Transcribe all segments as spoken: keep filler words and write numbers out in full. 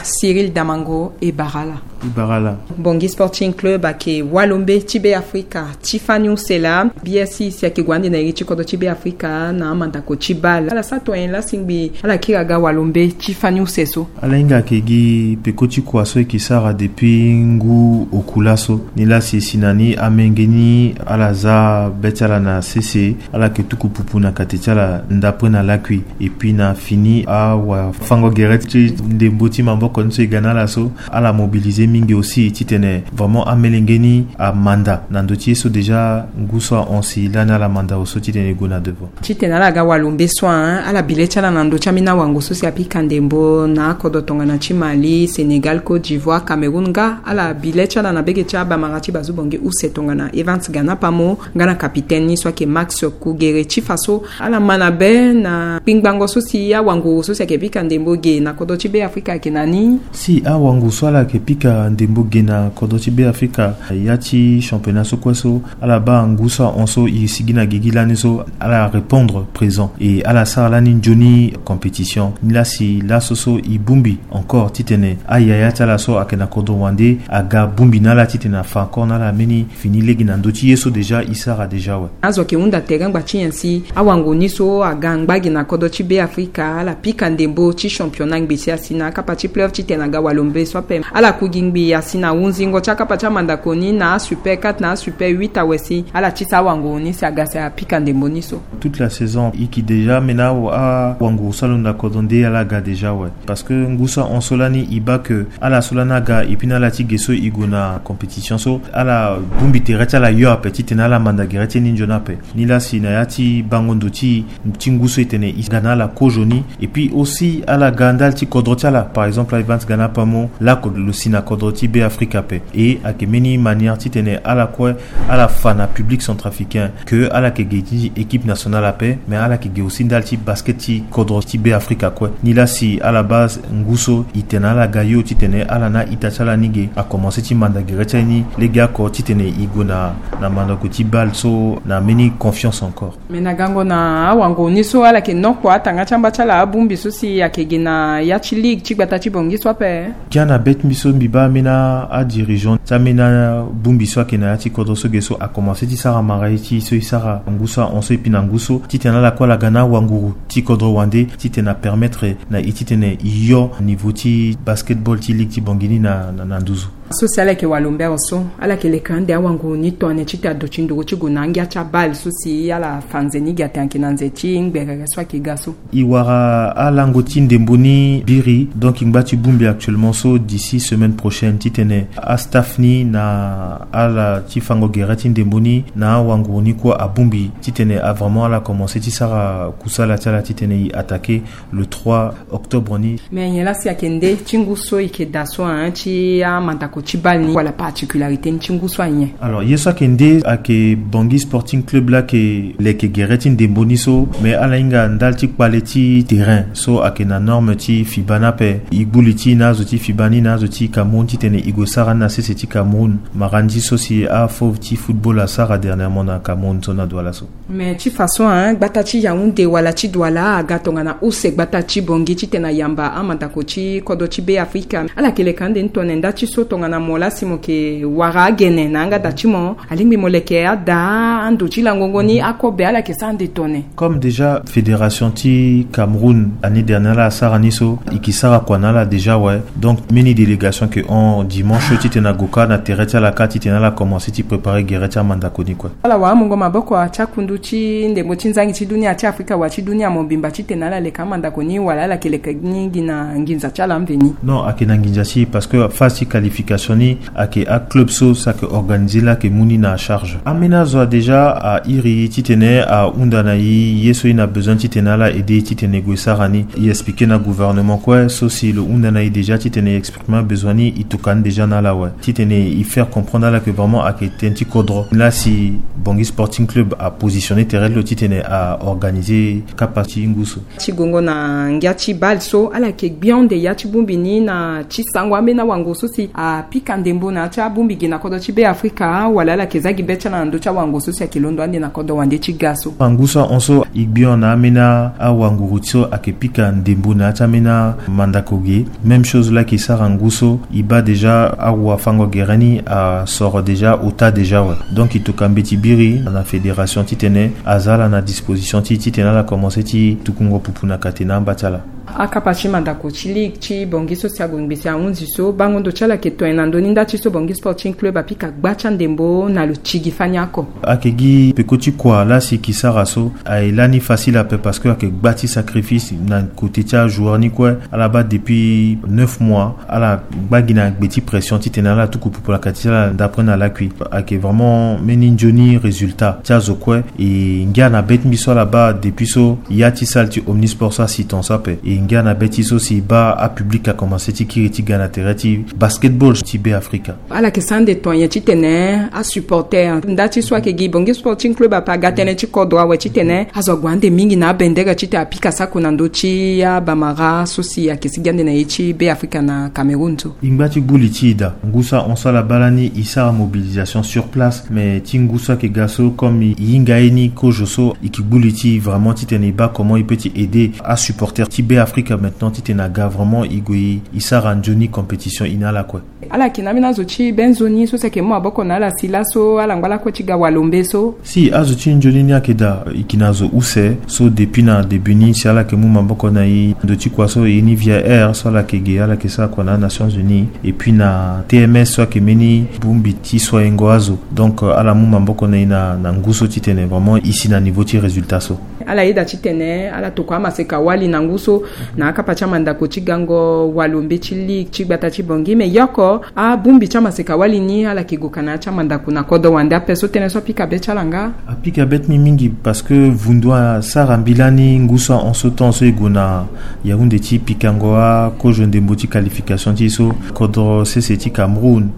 Cyril Damango e bara ala. E bara ala. Bongi Sporting Club ayeke walombe ti Be Afrika ti fani use laa. B S C si ayeke gue ande na iri ti kodro ti Be Afrika na amandako ti bale. Ala sara to nyen laa si ngbi ala kiri aga walombe ti fani use so? Ala hinga ayeke gi peko ti kua so e yeke sara depuis ngu oku laso. Nilaa si e si na ni amenge ni ala za be ti ala na sese, ala yeke tuku pupu na kate ti ala ndapre na lakui. Et puis na fini awafango gere ti ndembo ti maboko ni so e ga na ala so, ala mobiliser mingi aussi titene vraiment amelenge ni amanda na ndö ti ye so déjà ngu so ahon si lani ala manda awe so titene e gue na devant. Titene ala ga walombe so, hein, ala bi le ti ala na ndö ti ambeni awango so si apika ndembo na akodro tongana ti Mali, Sénégal, Côte d'Ivoire, Cameroun, nga ala bi le ti ala na bege ti abamara ti bazu bongi use tongana Evans Gana Pamo, nga na capitaine ni so ayeke Max Kugere. Ti fa so ala ma na be na kpingbango so si awanguru so si ayeke pika ndembo ge na kodro ti Be Afrika ayeke na ni? Si awanguru so ala yeke pika ndembo ge na kodro ti Be Afrika, ya ti championnat so kue so ala baa ngu so ahon so e sigi na gigi lani so, ala répondre présent et ala sara lani nzoni compétition. Nilaa si laso so e bongbi encore titene ayaya ti ala so ayeke na kodro wande aga bongbi na ala titene afa encore na ala mbeni fini lege na ndö ti ye so déjà e sara déjà awe. Azo ayeke hunda tere angba ti nyen si awanguru ni so aga angba ge na kodro ti Be Afrika ala pika ndembo ti championnat ngbisi asi na akapa ti playoff titene aga walombe so ape. Ala ku gi ngbi asi na hunzingo ti akapa ti amandako ni na asuper quatre na asuper huit awe si ala tisa awanguru ni si aga si apika ndembo ni so. Toute la saison e yeke déjà, mais na awa, awanguru so alondo na kodro nde ala ga déjà awe. Parce que ngu so ahon so lani e baa que ala so lani aga et puis na ala ti ge so e gue na compétition so, ala bongbi tere ti ala yo ape titene ala manda gere ti e ni nzoni ape. Nilaa si na ya ti bango ndo ti, ti ngu so e tene e ga na ala kozo ni. Et puis aussi ala ga ndali ti kodro ti ala, par exemple Evans Gana Pamo, lako lo si na kodro ti Be Afrika ape. Et ayeke mbeni manière titene ala kue ala fa na public centrafricain que ala yeke ge ti équipe nationale ape, mais ala yeke ge aussi ndali ti basket ti kodro ti Be Afrika kue. Nilaa si ala baa ngu so e tene ala ga yo titene ala na a-ita ti ala ni ge akomanse ti manda gere ti ala ni legeoko titene e gue na, na mandako ti bale so na mbeni confiance encore. Mais na gango na awanguru ni so ala yeke nokua atanga ti amba ti ala abongbi so si ayeke ge na ya ti ligue ti gbata ti bongi so ape. Kia na be ti mbi so mbi baa ambeni adirigeant ti ambeni abongbi so ayeke na ya ti kodro so ge so akomanse ti sara mara ye ti e so e sara ngu so ahon so et puis na ngu so titene ala kue ala ga na awanguru ti kodro wande titene apermettre na e titene e yo niveau ti basketball ti ligue ti bongi ni na, na, na nduzu. So si ala yeke walombe awe so ala yeke leke ande awanguru ni tongana nyen titene aduti nduru ti gue na angia ti abale so si ala fa nze ni ge atene ayeke na nze ti ngberere so ayeke ga so. E wara alango ti ndembo ni biri, donc e ngba ti bongbi actuellement so d'ici semaine prochaine titene astaff ni na ala ti fango gere ti ndembo ni na awanguru ni kue abongbi titene a vraiment ala commencer ti sara kusala ti ala titene e attaquer le trois octobre ni. Mais nyen laa si ayeke nde ti ngu so e yeke daa so, hein, ti amandako ti bale ni wala particularité ni ti ngu so anyen? Alors ye so ayeke nde ayeke Bangui Sporting Club laa ayeke leke gere ti ndembo ni so, mais ala hinga ndali ti kpale ti terrain so ayeke na norme ti fiba ni ape. E gbu li ti e na azo ti fiba ni na azo ti Cameroun titene e gue sara ni na sese ti Cameroun, marandi so si afauve ti football asara dernièrement na Cameroun so na Douala so. Mais ti façon, hein, gbata ti Yaoundé wala ti Douala aga tongana use gbata ti Bangui titene ayamba amandako ti kodro ti Be Afrika. Ala yeke leke ande ni tongana nda ti so tongana mo laa si mo yeke wara agene na yanga da ti mo, alingbi mo leke ada ando ti langongo ni akobe, ala yeke sara ande tongana. Comme déjà fédération ti Cameroun année dernière laa asara ni so, e yeke sara kua na ala déjà, ouais. Donc mbeni délégation ayeke hon dimanche so titene ague kâ na tere ti ala kâ titene ala commencer ti préparer gere ti amandako ni kue. Ala wara mungo maboko ti akundu ti ndembo ti nzangi ti dunia ti Afrika wala ti dunia mobimba titene ala leke amandako ni wala ala yeke leke ni gi na nginza ti ala mveni? Non, ayeke na nginza ti e parce que phase ti qualification ni ayeke aclub so so ayeke organiser laa ayeke mu ni na charge. Ambeni azo a déjà a iri e titene ahunda na e ye so e na besoin titene ala aider e titene e gue sara ni. E expliquer na gouvernement kue so si lo hunda na e déjà titene e exprimer besoin ni, e tokua ni déjà na ala awe. Titene e faire comprendre ala que vraiment ayeke tënë ti kodro. Laa si Bangui Sporting Club apositionner tere ti lo titene aorganiser kapa ti ngu so. Ti gongo na ngia ti bale so, ala yeke gbi ande ya ti bongbi ni na ti sango ambeni awango so si a Pika ndembo na ya ti abongbi gi na kodro ti Be Afrika, wala ala yeke za gi be ti ala na ndö ti awango so si ayeke londo ande na kodro wande ti ga so. Angu so ahon so e gbi hon na ambeni awanguru so ayeke pika ndembo na ya ti ambeni amandako ge. Même chose laa e yeke sara ngu so e baa déjà awafango gere ni asoro déjà ota déjà awe. Donc e tokua mbeti biri na fédération titene aza ala na disposition ti titene ala commencer ti tukungo pupu na kate na amba ti ala. Akapa ti mandako ti ligue ti Bangui so si ague ngbese ahunzi so bango ndo ti ala ayeke to nyen na ndö ni nda ti so Bangui Sporting Club apika gba ti andembo na lo ti gi fani oko? Ayeke gi peko ti kua laa si e yeke sara so, aye lani facile ape parce que ayeke gba ti sacrifice na côté ti ajoueur ni kue. Ala baa depuis neuf mois ala gba gi na gbe ti pression titene ala tuku pupu na kate ti ala d'après na lakui. Ayeke vraiment mbeni nzoni résultat ti azo kue. E ngia na be ti mbi so ala baa depuis so ya ti salle ti Omnisport so asi ton so ape. E ngia na be ti so si e baa apublic akomanse ti kiri ti ga na tere ti basketball ti Be Afrika. Ala yeke sara ande ton nyen titene asupporter nda ti so ayeke gi Bangui Sporting Club ape aga tënë ti kodro awe titene azo ague ande mingi na abendere titene apika sako na ndö ti abamara so si ayeke sigi ande na ye ti Be Afrika na Cameroun so? E ngba ti gbu li ti e daa. Ngu so ahon so ala baa lani e sara mobilisation sur place, mais ti ngu so ayeke ga so comme e hinga ye ni kozo so, e yeke gbu li ti e vraiment titene e baa comment e peut ti aider asupporter ti Be Afrika maintenant titene aga vraiment e gue e sara nzoni compétition e na ala kue. Ala yeke na ambeni azo ti be nzoni so si ayeke mu maboko na ala si laso ala ngba lakue ti ga walombe so? Si, azo ti nzoni ni ayeke daa, e yeke na zo use so depuis na début ni si ala yeke mu maboko na e ndo ti kua so e ye ni via air so ala yeke ge ala yeke sara kua na aNations Unies, et puis na T M S so ayeke mbeni bongbi ti soiengo azo. Donc euh, ala mu maboko na e na, na ngu so titene vraiment e si na niveau ti résultat so. Ala yeda titene ala tokua amaseka wali na ngu so na akapa ti amandako ti gango walombe ti ligue ti gbata ti Bangui, me yoko abongbi ti amaseka wali ni ala yeke gue ka na ya ti amandako na kodro wande ape so tënë so apika be ti ala nga? Apika be ti mbi mingi parce que vundu asara mbi lani ngu so ahon so temps so e gue na Yaoundé ti pikango akozo ndembo ti qualification ti e so, kodro sese ti Cameroun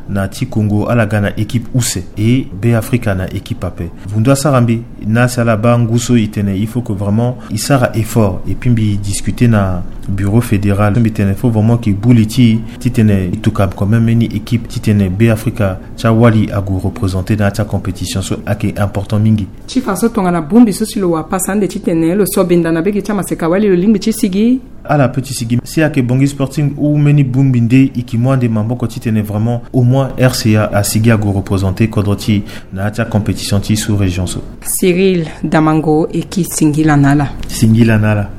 na ti Congo ala ga na équipe use, e Be Afrika na équipe ape. Vundu asara mbi na si ala baa ngu so e tene il faut que vraiment e sara effort, et puis mbi discuter na bureau fédéral, mbi tene faut vraiment e gbu li ti e titene e tokua quand même mbeni équipe titene Be Afrika ti awali ague représenter na ya ti acompétition so ayeke important mingi. Ti fa so tongana bongbi so si lo wara pasa ande titene lo so benda na be gi ti amaseka wali lo lingbi ti sigi? Ala peut ti sigi si ayeke Bangui Sporting ou mbeni bongbi nde e yeke mu ande maboko titene vraiment au moins R C A asigi ague représenter kodro ti e na ya ti acompétition ti sous région so. Cyril Damango, e ke singila na ala. Singila na ala.